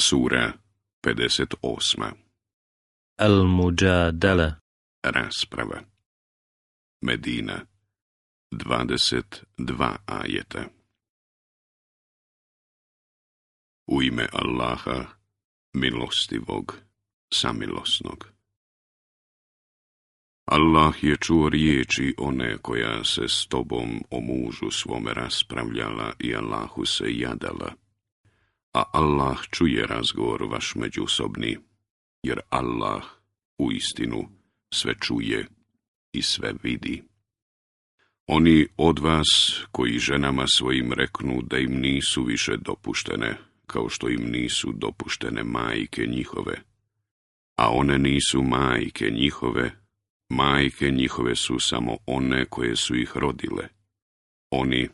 Sura 58. Al-Mujadala. Rasprava. Medina. 22 ajeta. U ime Allaha, milostivog, samilosnog. Allah je čuo riječi one koja se s tobom o mužu svome raspravljala i Allahu se jadala. A Allah čuje razgovor vaš međusobni, jer Allah uistinu sve čuje i sve vidi. Oni od vas koji ženama svojim reknu da im nisu više dopuštene, kao što im nisu dopuštene majke njihove, a one nisu majke njihove su samo one koje su ih rodile. Oni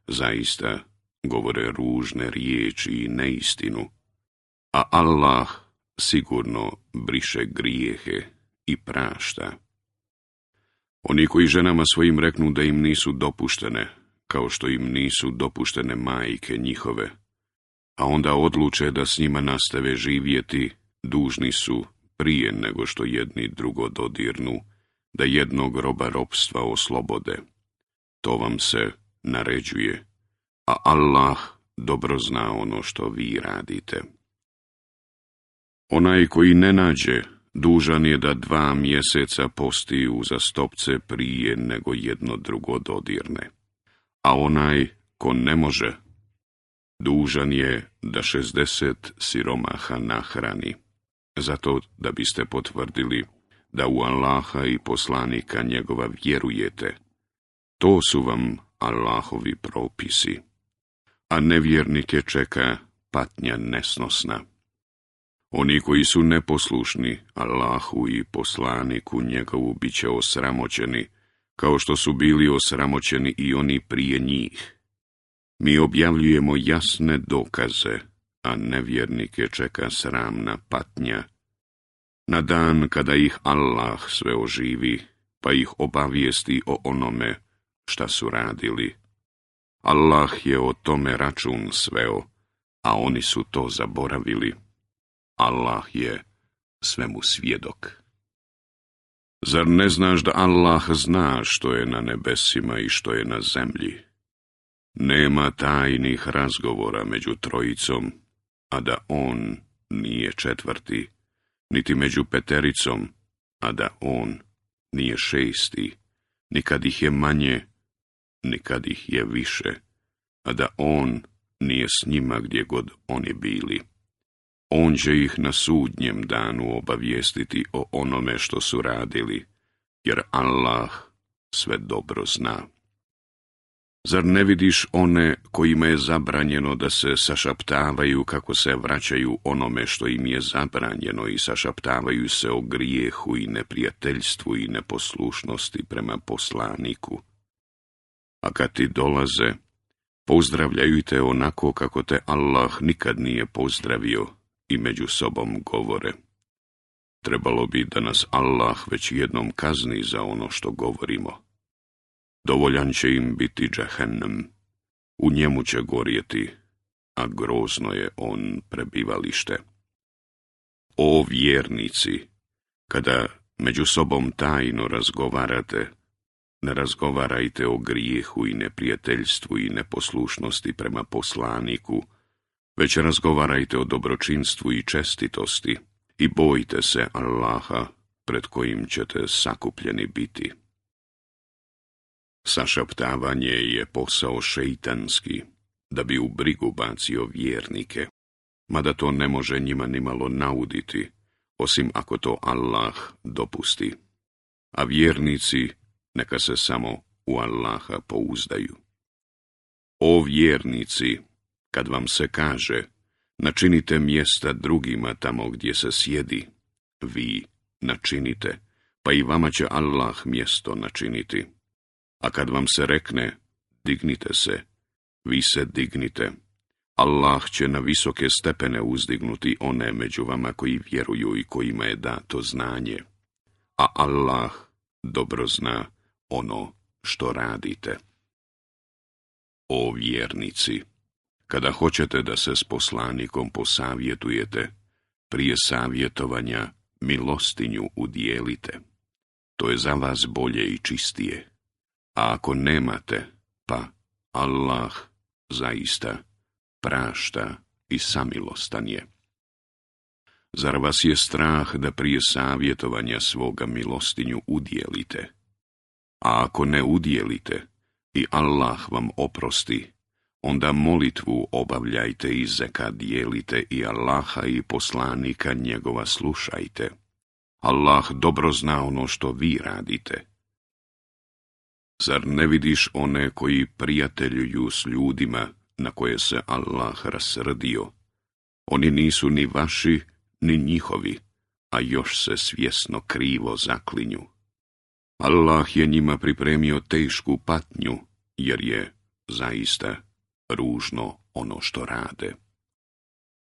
zaista govore ružne riječi i neistinu, a Allah sigurno briše grijehe i prašta. Oni koji ženama svojim reknu da im nisu dopuštene, kao što im nisu dopuštene majke njihove, a onda odluče da s njima nastave živjeti, dužni su, prije nego što jedni drugo dodirnu, da jednog roba ropstva oslobode. To vam se naređuje, a Allah dobro zna ono što vi radite. Onaj koji ne nađe, dužan je da 2 mjeseca posti uzastopce prije nego jedno drugo dodirne. A onaj ko ne može, dužan je da 60 siromaha nahrani, zato da biste potvrdili da u Allaha i poslanika njegova vjerujete. To su vam Allahovi propisi, a nevjernike čeka patnja nesnosna. Oni koji su neposlušni Allahu i poslaniku njegovu bit će osramoćeni, kao što su bili osramoćeni i oni prije njih. Mi objavljujemo jasne dokaze, a nevjernike čeka sramna patnja. Na dan kada ih Allah sve oživi, pa ih obavijesti o onome šta su radili. Allah je o tome račun sveo, a oni su to zaboravili. Allah je svemu svjedok. Zar ne znaš da Allah zna što je na nebesima i što je na zemlji? Nema tajnih razgovora među trojicom, a da on nije 4, niti među 5, a da on nije 6, nikad ih je manje, nikad ih je više, a da on nije s njima gdje god oni bili. On će ih na sudnjem danu obavijestiti o onome što su radili, jer Allah sve dobro zna. Zar ne vidiš one kojima je zabranjeno da se sašaptavaju kako se vraćaju onome što im je zabranjeno i sašaptavaju se o grijehu i neprijateljstvu i neposlušnosti prema poslaniku? A kad ti dolaze, pozdravljaju te onako kako te Allah nikad nije pozdravio i među sobom govore. Trebalo bi da nas Allah već jednom kazni za ono što govorimo. Dovoljan će im biti džehennem, u njemu će gorjeti, a grozno je on prebivalište. O vjernici, kada među sobom tajno razgovarate, ne razgovarajte o grijehu i neprijateljstvu i neposlušnosti prema poslaniku, već razgovarajte o dobročinstvu i čestitosti i bojte se Allaha pred kojim ćete sakupljeni biti. Sašaptavanje je posao šeitanski, da bi u brigu bacio vjernike, mada to ne može njima nimalo nauditi, osim ako to Allah dopusti. A vjernici neka se samo u Allaha pouzdaju. O vjernici, kad vam se kaže, načinite mjesta drugima tamo gdje se sjedi, vi načinite, pa i vama će Allah mjesto načiniti. A kad vam se rekne, dignite se, vi se dignite. Allah će na visoke stepene uzdignuti one među vama koji vjeruju i kojima je dato znanje. A Allah dobro zna ono što radite. O vjernici, Kada hoćete da se s poslanikom posavjetujete, prije savjetovanja milostinju udijelite. To je za vas bolje i čistije. A ako nemate, pa Allah zaista prašta i samilostan je. Zar vas je strah da prije savjetovanja svoga milostinju udjelite? A ako ne udjelite i Allah vam oprosti, onda molitvu obavljajte i zekat dijelite i Allaha i poslanika njegova slušajte. Allah dobro zna ono što vi radite. Zar ne vidiš one koji prijateljuju s ljudima na koje se Allah rasrdio? Oni nisu ni vaši, ni njihovi, a još se svjesno krivo zaklinju. Allah je njima pripremio tešku patnju, jer je zaista ružno ono što rade.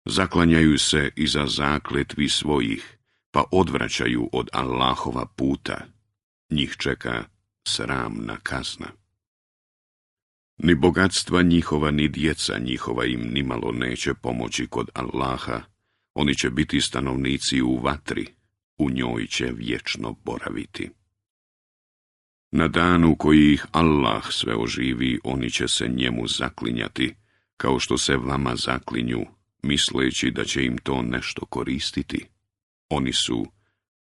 Zaklanjaju se iza zakletvi svojih, pa odvraćaju od Allahova puta. Njih čeka sramna kazna. Ni bogatstva njihova, ni djeca njihova im nimalo neće pomoći kod Allaha. Oni će biti stanovnici u vatri, u njoj će vječno boraviti. Na danu koji ih Allah sve oživi, oni će se njemu zaklinjati, kao što se vama zaklinju, misleći da će im to nešto koristiti. Oni su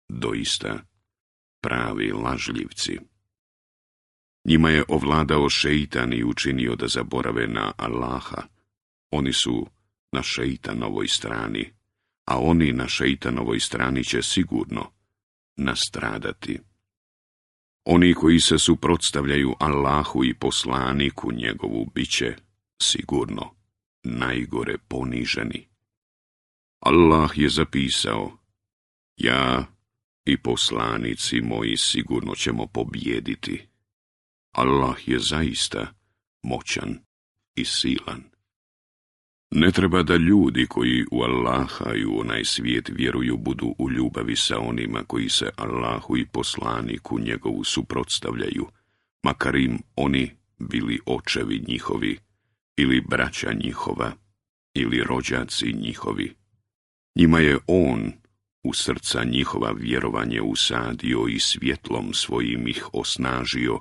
doista pravi lažljivci. Njima je ovladao šeitan i učinio da zaborave na Allaha. Oni su na šeitanovoj strani, a oni na šeitanovoj strani će sigurno nastradati. Oni koji se suprotstavljaju Allahu i poslaniku njegovu biće sigurno najgore poniženi. Allah je zapisao: ja i poslanici moji sigurno ćemo pobijediti. Allah je zaista moćan i silan. Ne treba da ljudi koji u Allaha i u onaj svijet vjeruju budu u ljubavi sa onima koji se Allahu i poslaniku njegovu suprotstavljaju, makar im oni bili očevi njihovi, ili braća njihova, ili rođaci njihovi. Njima je on u srca njihova vjerovanje usadio i svjetlom svojim ih osnažio,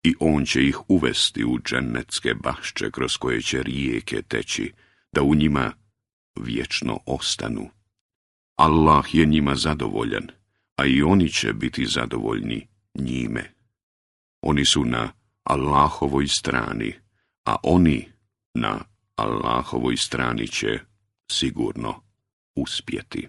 i on će ih uvesti u džennetske bašče kroz koje će rijeke teći, da u njima vječno ostanu. Allah je njima zadovoljan, a i oni će biti zadovoljni njime. Oni su na Allahovoj strani, a oni na Allahovoj strani će sigurno uspjeti.